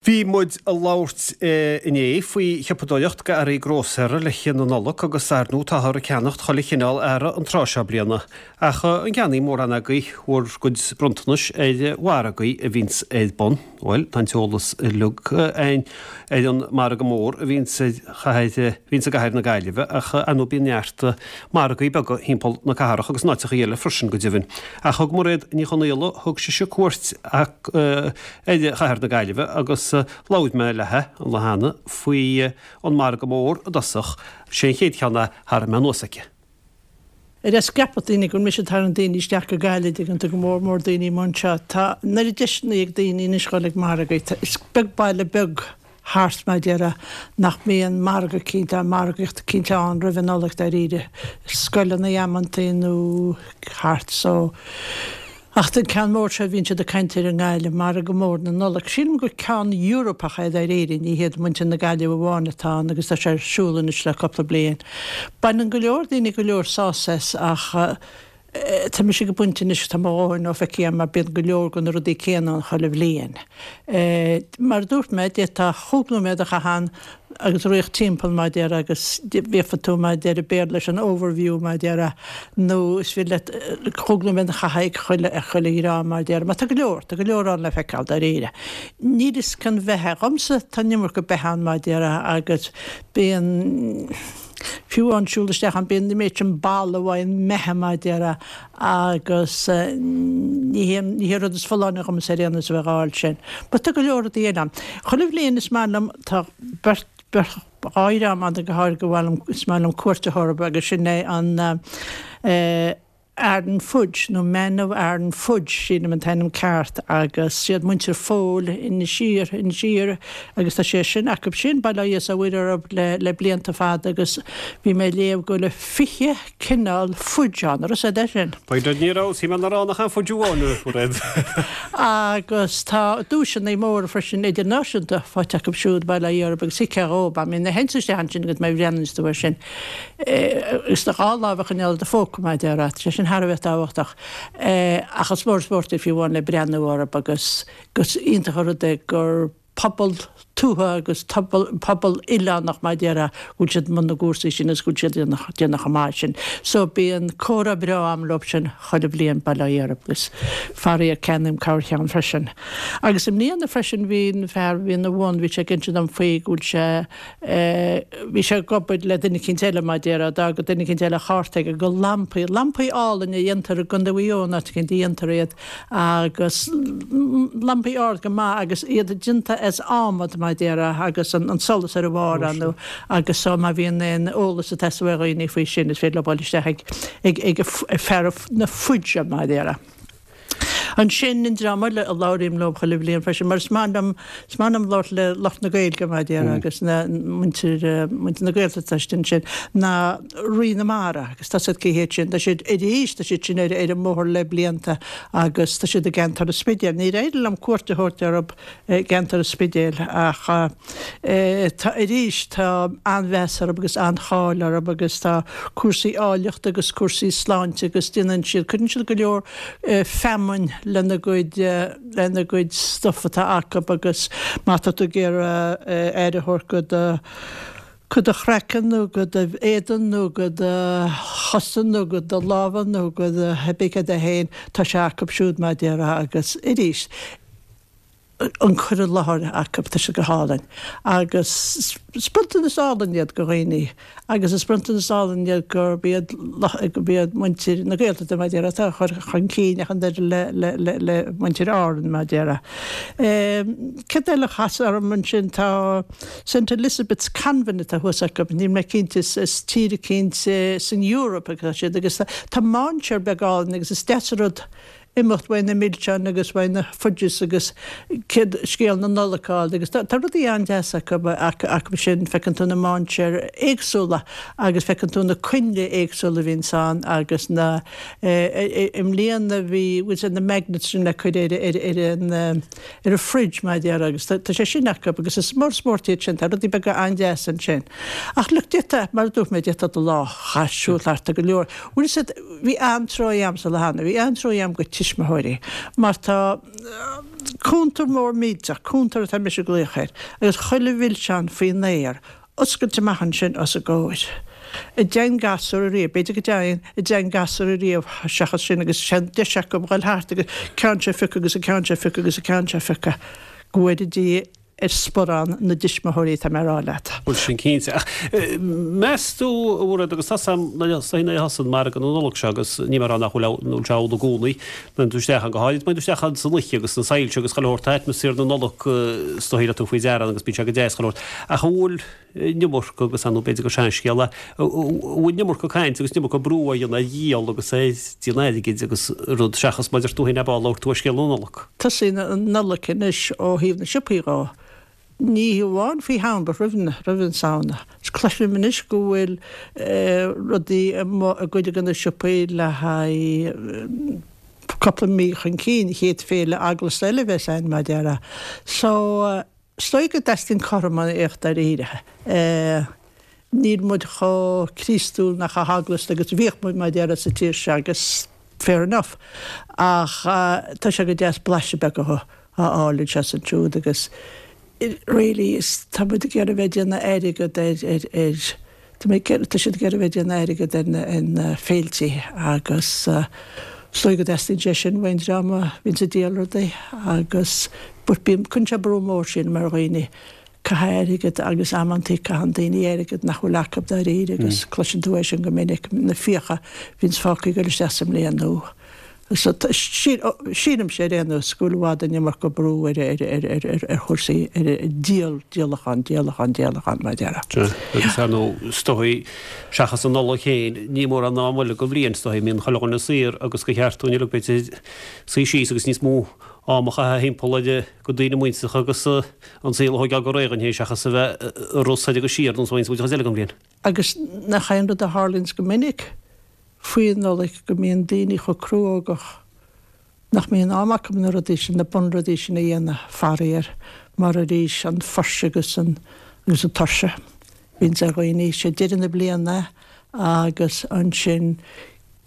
Bhí muid ag labhairt inné faoi shiopadóireacht go earraí grósaera le haghaidh na Nollag agus ar ndóigh táthar ag ceannacht chuile chineál earra an tráth seo bliana. Ach an gceannaíonn mórán agaibh bhur gcuid bronntanais ar mhargaí a bhíonns ar bun? Bhuel, tá an t-eolas uilig againn ar an margadh mór a bhíonns ar chathair, a bhíonns i gcathair na Gaillimhe ach ar ndóigh bíonn neart margaí beaga thimpeall na cathrach agus in áiteachaí eile freisin go deimhin. Ach thug Mairéad Ní Chonaola, thug sise cuairt ar chathair na Gaillimhe agus labhair mé léithe an lá cheana faoi an margadh mór i dtosach. Sé an chéad cheann a tharraing mé anuas aici. Ar fheas ceapadh daoine go bhfuil mise ag tarraingt daoine isteach go Gaillimh dtuigeann tú, go mór mór daoine amuigh anseo. Tá an oiread deiseanna ag daoine anois dhul ag margaí. Is beag baile beag thart mar a déarfá nach mbíonn margadh eicínt ann, margaíocht eicínt ann roimh an Nollaig dáiríre, scoileanna amantaí nó thart so. Ach an ceann mór seo a bhíonn siad ag caint air i nGaillimh, Margadh Mór na Nollag. Sílim gur ceann Eorpach é dáiríre, ní hiad muintir na Gaillimhe amháin atá ann agus tá sé ar siúl anois le cúpla bliain. Baineann go leor daoine go leor sásamh as ach tá mise ag an bpointe anois, tá mo dhóthain feicthe agam mar bíonn go leor de na rudaí céanna ann chuile bhliain. Mar a dúirt mé, d'fhéadfá chúpla nóiméad a chaitheamh ann agus rith timpeall mar a déarfá agus bheadh tú mar a deir an Béarla leis an overview mar a déarfá nó is féidir leat cúpla nóiméad a chaitheamh ag chuile ag chuile dhream mar a déarfá mar tá go leor tá go leor ann le feiceáil dáiríre. Níl fhios cén bheithe dhomsa tá an iomarca beithe ann mar a déarfá agus bíonn fiú amháin siúl isteach ann bíonn an méid sin balla uaidh an mbeithe mar a déarfá agus ní hé ní hé an rud is folláine dhomsa ar aon nós a bheith dhá fháil sin. But tá go leor rudaí eile ann. Chuile bhliain is maith liom, tá beirt, beirt, dhá dhream ann go háirithe go mhaith liom, is maith liom cuairt a thabhairt orthu agus sin é an eh Aran Fudge nó Man of Aran Fudge sílim an t-ainm ceart agus siad muintir Phóil Inis Oírr, Inis Oírr agus tá sé sin acu sin, bail ó Dhia 's ó Mhuire orthu le, le blianta fada agus bhí mé ag léamh go bhfuil 20 cineál fudge ann, an raibh 'fhios a'd é sin? B'fhéidir ní raibh, shíl mé nach raibh ann ach an fudge amháin, a Mhairéad. Agus tá duaiseanna móra freisin idirnáisiúnta faighte acu siúd, bail ó Dhia orthu, agus thuigfeá dhóibh, I mean, nuair a théann tú isteach ansin agus má bhreathnaíonn tú air sin, agus do dhá lámh a choinneáil i do phóca, mar a déarfá, tá sé sin thar a bheith tábhachtach. Ach is mór an spórt é fiú amháin le breathnú orthu agus gus iontach an rud é gur pobal tuaithe agus pobal oileánach mar a déarfá go bhfuil siad i mbun na gcúrsaí sin agus go bhfuil siad ag déanamh chomh maith sin. So bíonn comhrá breá a'm leo sin chuile bhliain, bail ó Dhia orthu agus faraor ceannaím corrcheann freisin. Agus i mbliana freisin bhí an fear a bhí ina bhun, bhí sé ag inse dom faoi go bhfuil sé Bhí sé ag obair le duine eicínt eile, mar a déarfá, d'fhág duine eicínt eile a chárta aige go lampaí, lampaí álainn a dhéantar i gContae Mhaigh Eo, in áit eicínt a dhéantar iad, agus lampaí ard go maith agus iad déanta as adhmad, mar a déarfá, agus an solas ar a bharr ann agus so má bhíonn aon eolas ag teastáil ó dhaoine faoi sin is féidir leo dul isteach ag ag ag fear na fudge, mar a déarfá. Ansin, an dream eile a labhraím leo chuile bhliain freisin, mar is maith liom, is maith liom labhairt le lucht na Gaeilge, mar a déarfá, agus na muintir, muintir na Gaeltachta ansin, ná Rí na Mara, agus tá 'fhios a'd cé hiad sin, tá siad arís, tá siad sin ar, ar an mbóthar le blianta agus tá siad i gceantar an Spidéil. Níor éirigh liom cuairt a thabhairt orthu i gceantar an Spidéil ach tá, arís, tá an-mheas orthu agus an-cháil orthu agus tá cúrsaí áilleachta agus cúrsaí sláinte agus déanann siad, cuireann siad go leor feamainn lena gcuid, lena gcuid stuif atá acu agus má tá tú ag iarraidh aire a thabhairt go do, go do chraiceann nó go do éadan nó go do chosa nó go do lámha nó go do cibé céard é féin, tá sé acu siúd mar a déarfá agus arís, an cur i láthair acu, tá sé go hálainn. Agus is bronntanas álainn iad go dhaoine agus is bronntanas álainn iad gurb iad gurb iad muintir na Gaeltachta mar a déarfá atá á chur chun cinn ach an oiread le le le le muintir Árann mar a déarfá. Céard eile a chas orm ansin tá St Elizabeth's Convent atá thuas acu, níl mé cinnte is is tír eicínt san Eoraip atá siad agus tá mainséar beag álainn agus is deas an rud imeacht uaidh na milseáin agus uaidh na fudges agus céad scéal na Nollag a fháil agus tá rudaí an-deas acu acu sin, feiceann tú na mainséir éagsúla agus feiceann tú na coinnle éagsúla a bhíonns ann agus na i mbliana bhí bhfuil sé na magnets sin le cur ar ar ar an ar an fridge mar a déarfá agus tá sé sin acu agus is mór spórt iad sin, tá rudaí beaga an-deas ansin. Ach look d'fhéadfá, mar a dúirt mé, d'fhéadfá do lá a chaitheamh siúl thart, tá go leor, bhfuil fhios a'd, Bhí an-truaigh a'msa le hAnna, bhí an-truaigh a'm go tuismitheoirí mar tá. Cuntar mór millteach, cuntar atá mise ag glaoch air, agus chuile mhilseán faoin aer, oscailte amach ansin os a gcomhair. An dteigheann gasúr ariamh, b'fhéidir go dteigheann, an dteigheann gasúr ariamh seachas sin agus sé an deis acu dhul thart agus ceann seo a phiocadh agus an ceann seo a phiocadh agus an ceann seo a phiocadh. Go bhfóire Dia ar sparán na dtuismitheoirí tá mé a rá leat. Bhuel sin cinnte. Ach meas tú, a Mhairéad, agus tá 's a'm nuair a thosaíonn margadh na Nollag seo agus níl mé ag rá nach bhfuil nó sé amhlaidh i gcónaí, nuair tú isteach ann go háirid, nuair tú isteach ann san oíche agus na soilse agus chuile shórt, tá atmaisféar na Nollag is dóigh le tú faoi deara ann agus bíonn sé go deas chuile shórt. Ach an bhfuil an iomarca agus ar ndóigh b'fhéidir gur seanscéal é, an bhfuil an iomarca caint agus an iomarca brú á dhéanamh ar dhíol agus ar déanamh airgid agus rud seachas mar a deir tú féin ab ea labhair tú ar scéal na Nollag. Tosaíonn an Nollaig anois ó thaobh na siopaí dhó. Ní hamháin faoi Shamhain but roimh roimh an Samhna. Is cloisim anois go bhfuil rudaí amuigh i gcuid de na siopaí le haghaidh cúpla mí chun cinn, an chéad féile eaglasta eile a bheas ann mar a déarfá. So Is dóigh go dteastaíonn cothromaíocht dáiríre. Níl muid chomh Críostúil ná chomh heaglasta agus a bhíodh muid mar a déarfá sa tír seo agus fair enough. Ach tá sé go deas blaiseadh beag a fháil anseo is ansiúd agus really is tá muid ag iarraidh a bheith ag déanamh airgead ar ar ar Tá mé ag iarraidh, tá siad ag iarraidh a bheith ag déanamh airgead ar na, ar na féiltí agus is dóigh go dteastaíonn sé sin uaidh an dream a bhíonns ag díol rudaí agus but bíonn, cuireann sé brú mór sílim ar dhaoine, caithfidh airgead agus amantaí caitheann daoine airgead nach bhfuil acu dáiríre agus cloiseann tú é sin go minic, na fiacha a bhíonns fágtha ag dul isteach sa mbliain nua. Sílimse ar aon nós go bhfuil i bhfad an iomarca brú ar chúrsaí, ar díol, díolachán, díolachán, díolachán, mar a déarfá. Sea, agus ar ndóigh, is dóigh, seachas an Nollaig féin, ní mórán am eile den bhliain, is dóigh, a mbíonn chuile dhuine saor agus gur cheart dúinn uilig, b'fhéidir, suí síos agus níos mó ama a chaitheamh thimpeall ar go daoine muinteartha agus an saol a thóigeáil go réidh dhúinn féin seachas a bheith ag rith soir agus siar ar nós a bhíonns muid an chuid eile den bhliain. Agus nach é an rud a tharlaíonns go minic? faoi Nollaig go mbíonn daoine chomh cruógach nach mbíonn am acu na rudaí sin, na bunrudaí sin a dhéanamh, faraor, mar arís an fuirse agus an agus an tuirse a bhíonns ar dhaoine. Sé deireadh na bliana agus ansin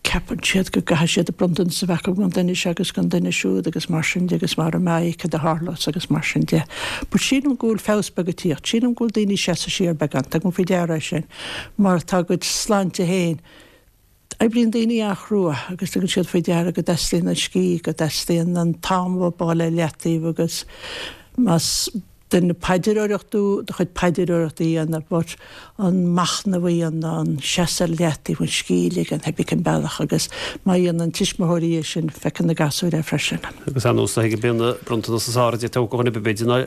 ceapann siad go gcaithfidh siad a bronntanas a bheith acu don duine seo agus don duine siúd agus mar sin de agus mara mbeidh cad a tharlós agus mar sin de. But sílim go bhfuil feabhas beag ag tíocht, sílim go bhfuil daoine ag seasamh siar beagán, tugaim faoi deara é sin mar tá a gcuid sláinte féin Oibríonn daoine an-chrua agus tugann siad faoi deara go dteastaíonn an scíth, go dteastaíonn an t-am a bheith ar leataobh agus más duine paidreoireach tú, do chuid paidreoireachta a dhéanamh but an machnamh a dhéanamh, an seasamh ar leataobh, an scíth a ligean, pé ar bith cén bealach agus má dhéanann tuismitheoirí é sin, feiceann na gasúir é freisin. Agus ar nós go mbíonn na bronntanas is fearr a d'fhéadfadh dhuine ar bith b'fhéidir ná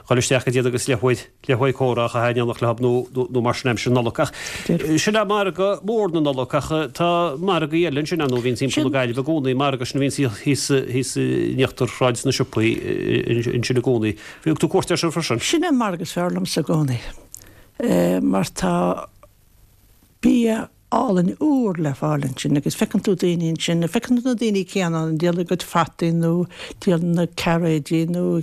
dhul isteach go dtí iad agus leathuair leathuair comhrá a chaitheamh in éineacht leo nó mar sin aimsir na Nollag. Ach sin é margadh mór na Nollag ach tá margaí eile ansin ar ndóigh a bhíonns timpeall na Gaillimhe i gcónaí, margadh sin a bhíonns thíos thíos in íochtar Shráid na Siopaí ansin i gcónaí. Thug tú cuairt air sin freisin? Sin é an margadh is fearr liomsa i gcónaí mar tá bia álainn úr le fáil ansin agus feiceann tú daoine ansin, feiceann tú na daoine céanna ann ag díol a gcuid fataí nó ag díol na cairéidí nó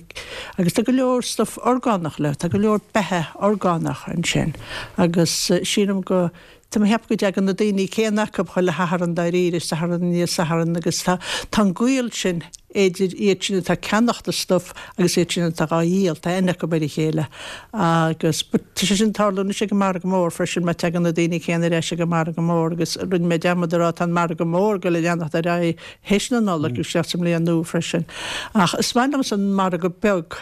agus tá go leor stuff orgánach le, tá go leor beatha orgánach ansin agus sílim go, tá mé ag ceapadh go dtagann na daoine céanna acu chuile Shatharn dáiríre, Satharn i ndiaidh Satharn agus tá, tá an gaol sin idir iad sin atá ag ceannacht an stuif agus iad sin atá dhá dhíol, tá aithne acu ar a chéile agus tá sé sin ag tarlú anois ag an margadh mór freisin mar tagann na daoine céanna ar ais ag an margadh mór agus rinne mé dearmad a rá tá an margadh mór ag dul a leanacht ar aghaidh théis na Nollag agus isteach sa mbliain nua freisin. Ach is maith liomsa an margadh beag.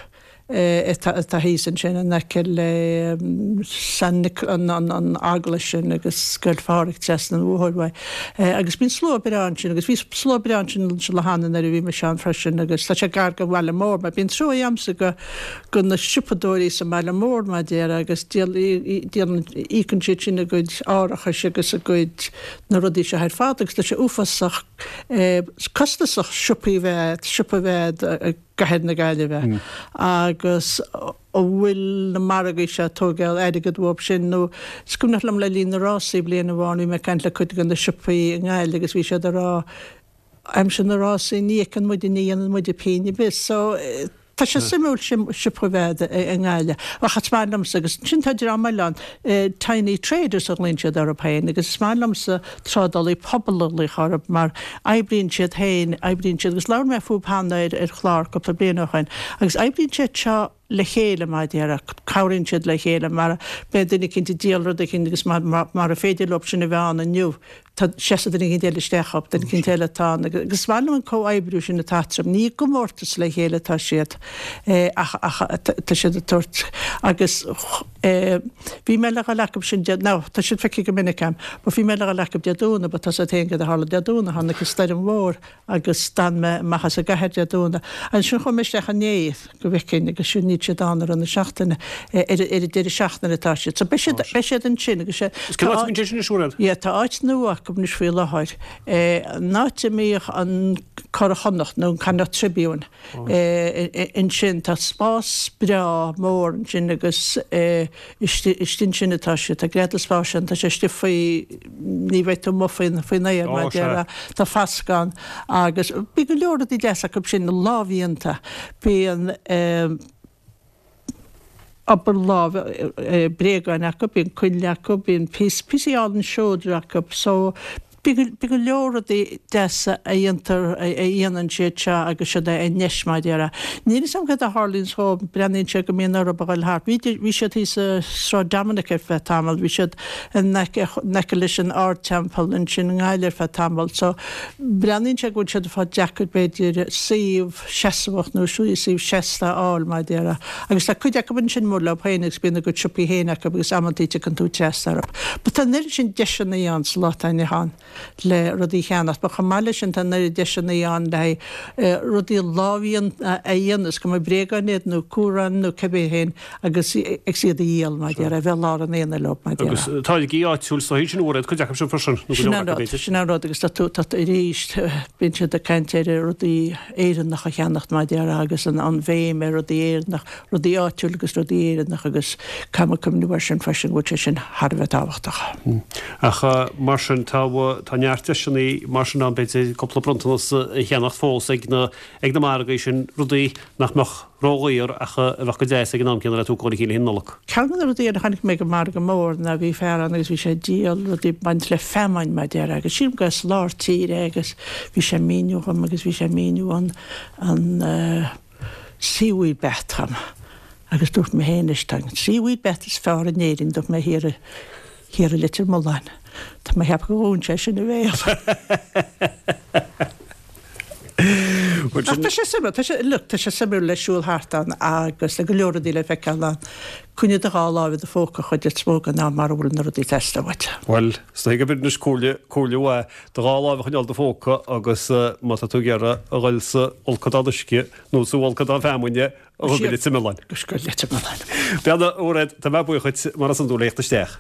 atá thíos ansin in aice le San an an eaglais sin agus Scoil Phádraig trasna an bhóthair uaidh. Agus bíonn slua breá ansin agus bhí slua breá ansin an lá cheana nuair a bhí mise ann freisin agus tá sé gar don bhaile mór mar bíonn trua agamsa go go na siopadóirí sa mbaile mór mar a déarfá agus díol díolann íocann siad sin a gcuid árachais agus a gcuid na rudaí seo ar fad agus tá sé uafásach costasach siopaí a bheith siopa a bheith ag gCathair na Gaillimhe agus an bhfuil na margaí seo ag tógáil airgead uathu sin nó is cuimhneach liom le linn na rásaí bliain amháin bhí mé ag caint le cuid de na siopaí i nGaillimh agus bhí siad ag rá aimsir na rásaí ní fheiceann muide ní dhéanann muide pingin ar bith so. Tá sé suimiúil siopa a bheith i nGaillimh. Ach is maith liomsa, agus ansin tá dream eile ann, tiny traders a ghlaonn siad orthu féin, agus is maith liomsa trádálaí pobail a ghlaoch orthu mar oibríonn siad féin, oibríonn siad, agus labhair mé fúthu cheana ar chlár cúpla bliain ó shin, agus oibríonn siad seo le chéile mar a déarfá, cabhraíonn siad le chéile mar beidh duine eicínt ag díol rud eicínt agus mara féidir leo sin a bheith ann inniu, Tá seasamh duine éicint eile isteach dhób, duine éicint eile atá ann agus is maith liom an comhoibriú sin atá eatarthu. Ní i gcomórtas le chéile atá siad ach ach tá siad ag tabhairt agus bhí mé le dhul acu sin Dé, nó tá siad feicthe go minic agam, but bhí mé le dhul acu Dé Domhnaigh but tá 's agat féin cad a tharla Dé Domhnaigh, tháinig an stoirm mhór agus d'fhan mé amach as an gcathair Dé Domhnaigh. Ansin chuaigh mé isteach inné go bhfeicfinn agus sin níl siad ann i rith na seachtaine, ar an deireadh seachtaine atá siad. So beidh siad, beidh siad ansin agus sé, Is cén áit a mbíonn sé sin ar siúl? Yeah, tá áit nua acu anois faoi láthair, an áit a mbíodh an Curadh Chonnacht nó an Connacht Tribune ansin, tá spás breá mór ansin agus Istigh ansin atá sé. Tá greadadh spáis ann. Tá sé istigh faoi, ní bheidh tú amuigh faoin, faoin aer mar a déarfá. Tá fascadh ann agus bíonn go leor rudaí deasa acu sin, lámhdhéanta. Bíonn obair láimhe, bréagáin acu, bíonn coinnle acu, bíonn píosaí álainn seodra acu. So Bíonn go leor rudaí deasa a dhéantar, a dhéanann siad seo agus siad i ndeis mar a déarfá. Níl fhios agam cad a tharlaíonns dhóibh, breathnaíonn sé go mbíonn orthu a dhul thart. Bhí, bhí siad thíos i Sráid Dominic ar feadh tamaill, bhí siad in aice, in aice leis an Ardteampall ansin i nGaillimh ar feadh tamaill. So, breathnaíonn sé go bhfuil siad ag fáil deacair b'fhéidir suíomh seasmhach nó suíomh seasta a fháil mar a déarfá. Agus tá cuid acu ansin mór leo féin agus bíonn a gcuid siopaí féin acu agus amantaí tiocfaidh tú trasna orthu. But tá an oiread sin deiseanna ann sa lá atá inniu ann le rudaí a cheannacht but chomh maith leis sin tá an oiread deiseanna ann le haghaidh rudaí lámhdhéanta a dhéanamh, is cuma bréagáin iad nó cuaráin nó cibé féin agus agus iad a dhíol mar a déarfá, a bheith lár an aonaigh leo mar a déarfá. Agus táirgí áitiúil sa sin uair iad cuid acu sin freisin, nó go Sin leor an acu rud, b'fhéidir. sin an rud agus tá tú, tá tú arís, bíonn siad ag caint ar rudaí Éireannach a cheannacht mar a déarfá agus an an bhéim ar rudaí Éireannach, rudaí áitiúil agus rudaí Éireannach agus caithfidh muid cuimhneamh air sin freisin go bhfuil sé sin thar a bheith tábhachtach. Ach mar sin tá, tá neart deiseanna mar sin ann b'fhéidir cúpla bronntanas a cheannacht fós ag na, ag na margaí sin, rudaí nach mbeadh ródhaor ach a bheadh go deas ag an am céanna le tú ag dul le chéile Nollag. Ceann de na rudaí a chonaic mé ag an margadh mór ná bhí fear ann agus bhí sé ag díol rudaí ag baint le feamainn mar a déarfá agus sílim gur as lár tíre é agus bhí sé ag míniú dhom agus bhí sé ag míniú an an seaweed bath dhom agus dúirt mé féin leis tá an seaweed bath is fearr in Éirinn dúirt mé thiar i thiar i Leitir Mealláin. Tá mé ag ceapadh gur dhún sé sin a bhéal. Ach tá sé suimiúil, tá sé, look, tá sé suimiúil le siúl thart ann agus tá go leor rudaí le feiceáil ann. Coinnigh do dhá láimh i do phóca chuid is mó den am mara bhfuil na rudaí ag teastáil uait. Bhuel, is dóigh gurb in anois comhairle, comhairle mhaith, do dhá láimh a choinneáil i do phóca agus má tá tú ag iarraidh a dhul sa bhfolcadán uisce nó sa bhfolcadán feamainne, a dhul go Leitir Mealláin. Go Leitir Mealláin. Bhuel, a Mhairéad, tá mé buíoch dhuit mar is iondúil as theacht isteach.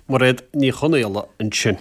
Mairéad Ní Chonaola ansin.